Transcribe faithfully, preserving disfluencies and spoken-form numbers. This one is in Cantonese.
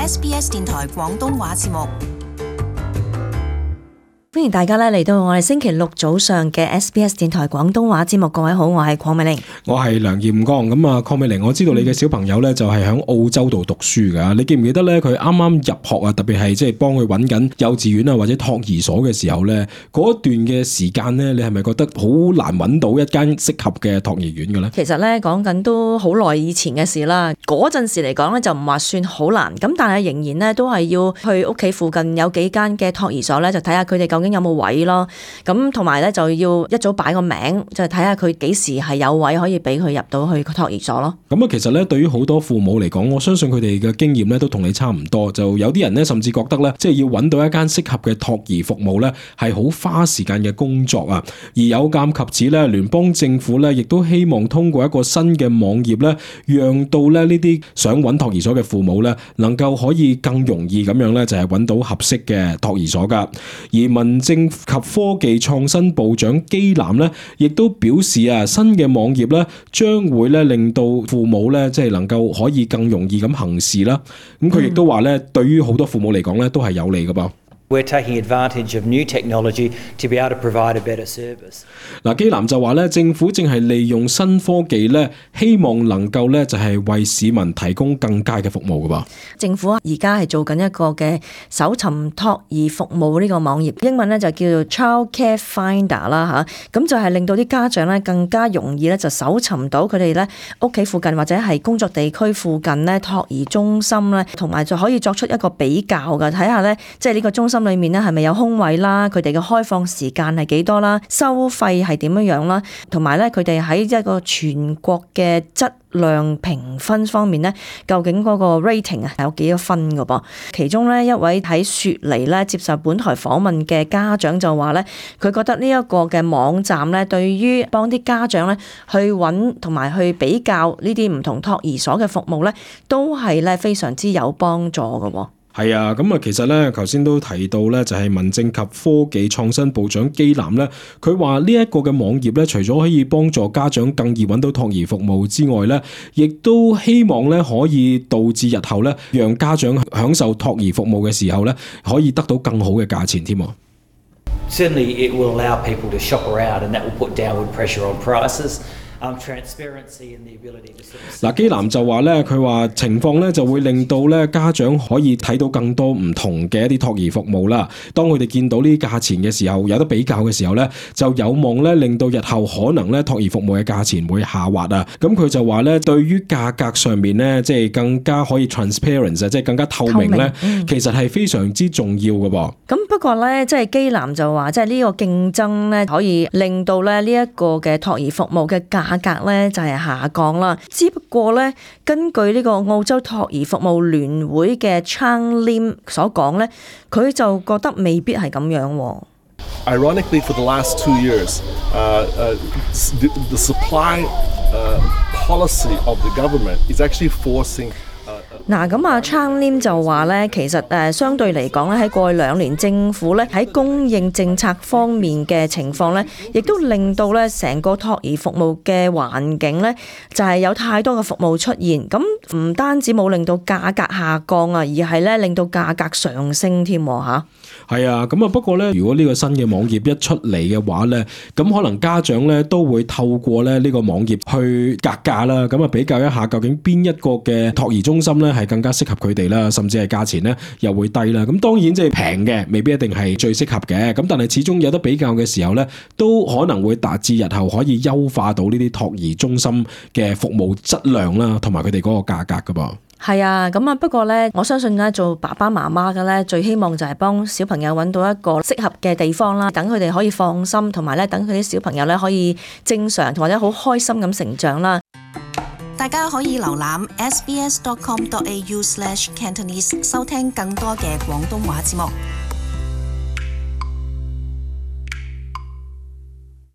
S B S 電台廣東話節目。歡迎大家咧嚟到我哋星期六早上嘅 S B S 電台廣東話節目。各位好，我係鄺美玲，我係梁彥剛。咁啊，鄺美玲，我知道你嘅小朋友咧就係喺澳洲度讀書噶。你記唔記得咧？佢啱啱入學啊，特別係即係幫佢揾緊幼稚園啊或者托兒所嘅時候咧，嗰一段嘅時間咧，你係咪覺得好難揾到一間適合嘅托兒園嘅咧？其實咧講緊都好耐以前嘅事啦。嗰陣時嚟講咧就唔話算好難，咁但係仍然咧都係要去屋企附近有幾間嘅托兒所咧，就睇下佢哋究竟有冇位咯，咁同埋咧就要一早擺個名，就睇下佢幾時係有位可以俾佢入到去托兒所咯。咁啊，其實咧對於好多父母嚟講，我相信佢哋嘅經驗咧都同你差唔多，就有啲人咧甚至覺得咧，即係要揾到一間適合嘅托兒服務咧，係好花時間嘅工作啊。而有鑑及此咧，聯邦政府咧亦都希望通過一個新嘅網頁咧，讓到咧呢啲想揾托兒所嘅父母咧，能夠可以更容易咁樣咧，就係揾到合適嘅托兒所噶。而民政及科技創新部長基南咧，亦都表示啊，新嘅網頁咧，將會咧令到父母咧，即係能夠可以更容易咁行事啦。咁佢亦都話咧，對於好多父母嚟講咧，都係有利噶噃。We're taking advantage of new technology to be able to provide a better service. 嗱，基南就話咧，政府正係利用新科技咧，希望能夠咧就係為市民提供更佳嘅服務噶噃。政府而家係做緊一個嘅搜尋托兒服務呢個網頁，英文咧就叫做 Child Care Finder 啦吓，咁就係令到啲家長咧更加容易咧就搜尋到佢哋咧屋企附近或者係工作地區附近咧托兒中心咧，同埋就可以作出一個比較噶，睇下咧即係呢個中心裏面咧係咪有空位啦，佢哋嘅開放時間係幾多啦，收費係點樣樣啦，同埋咧佢哋喺一個全國嘅質量評分方面咧，究竟嗰個 rating 啊有幾多分噶噃？其中咧一位喺雪梨咧接受本台訪問嘅家長就話咧，佢覺得呢一個嘅網站咧，對於幫啲家長咧去揾同埋去比較呢啲唔同托兒所嘅服務咧，都係咧非常之有幫助噶喎。係啊，咁啊，其實咧，頭先都提到咧，就係民政及科技創新部長基南咧，佢話呢一個嘅網頁咧，除咗可以幫助家長更易揾到托兒服務之外咧，亦都希望咧可以導致日後咧，讓家長享受托兒服務嘅時候咧，可以得到更好嘅價錢添。Certainly, it will allow people to shop around, and that will put downward pressure on prices. 嗱，基南就話咧，佢話情況咧就會令到咧家長可以睇到更多唔同嘅一啲托兒服務啦。當佢哋見到呢啲價錢嘅時候，有得比較嘅時候咧，就有望咧令到日後可能咧托兒服務嘅價錢會下滑啊。咁佢就話咧，對於價格上面咧，即係更加可以 transparent 啊，即係更加透明咧，嗯、其實係非常之重要嘅噃。咁不過咧，即係基南就話，即係呢個競爭咧，可以令到咧呢一個嘅托兒服務嘅價價格咧就係下降啦，只不過咧根據呢個澳洲托兒服務聯會嘅 Chang Lim 所講咧，佢就覺得未必係咁樣。Ironically, for the last two years, uh, uh, the, the supply uh, policy of the government is actually forcing.嗱，咁啊 Chang Lim 就話咧，其實誒相對嚟講咧，喺過去兩年政府咧喺供應政策方面嘅情況咧，亦都令到咧成個托兒服務嘅環境咧，就係有太多嘅服務出現，咁唔單止冇令到價格下降啊，而係咧令到價格上升添嚇。係啊，咁啊不過咧，如果呢個新嘅網頁一出嚟嘅話咧，咁可能家長咧都會透過咧呢個網頁去格價啦，咁啊比較一下究竟邊一個嘅托兒中心咧係更加適合佢哋啦，甚至係價錢咧又會低啦。咁當然即係平嘅未必一定係最適合嘅，咁但係始終有得比較嘅時候咧，都可能會達至日後可以優化到呢啲托兒中心嘅服務質量啦，同埋佢哋嗰個價格噶噃。係啊，咁啊不過咧，我相信咧做爸爸媽媽嘅咧，最希望就係幫小朋友揾到一個適合嘅地方啦，等佢哋可以放心，同埋咧等佢啲小朋友咧可以正常或者好開心咁成長啦。大家可以瀏覽 s b s dot com dot a u slash cantonese 收聽更多嘅廣東話節目。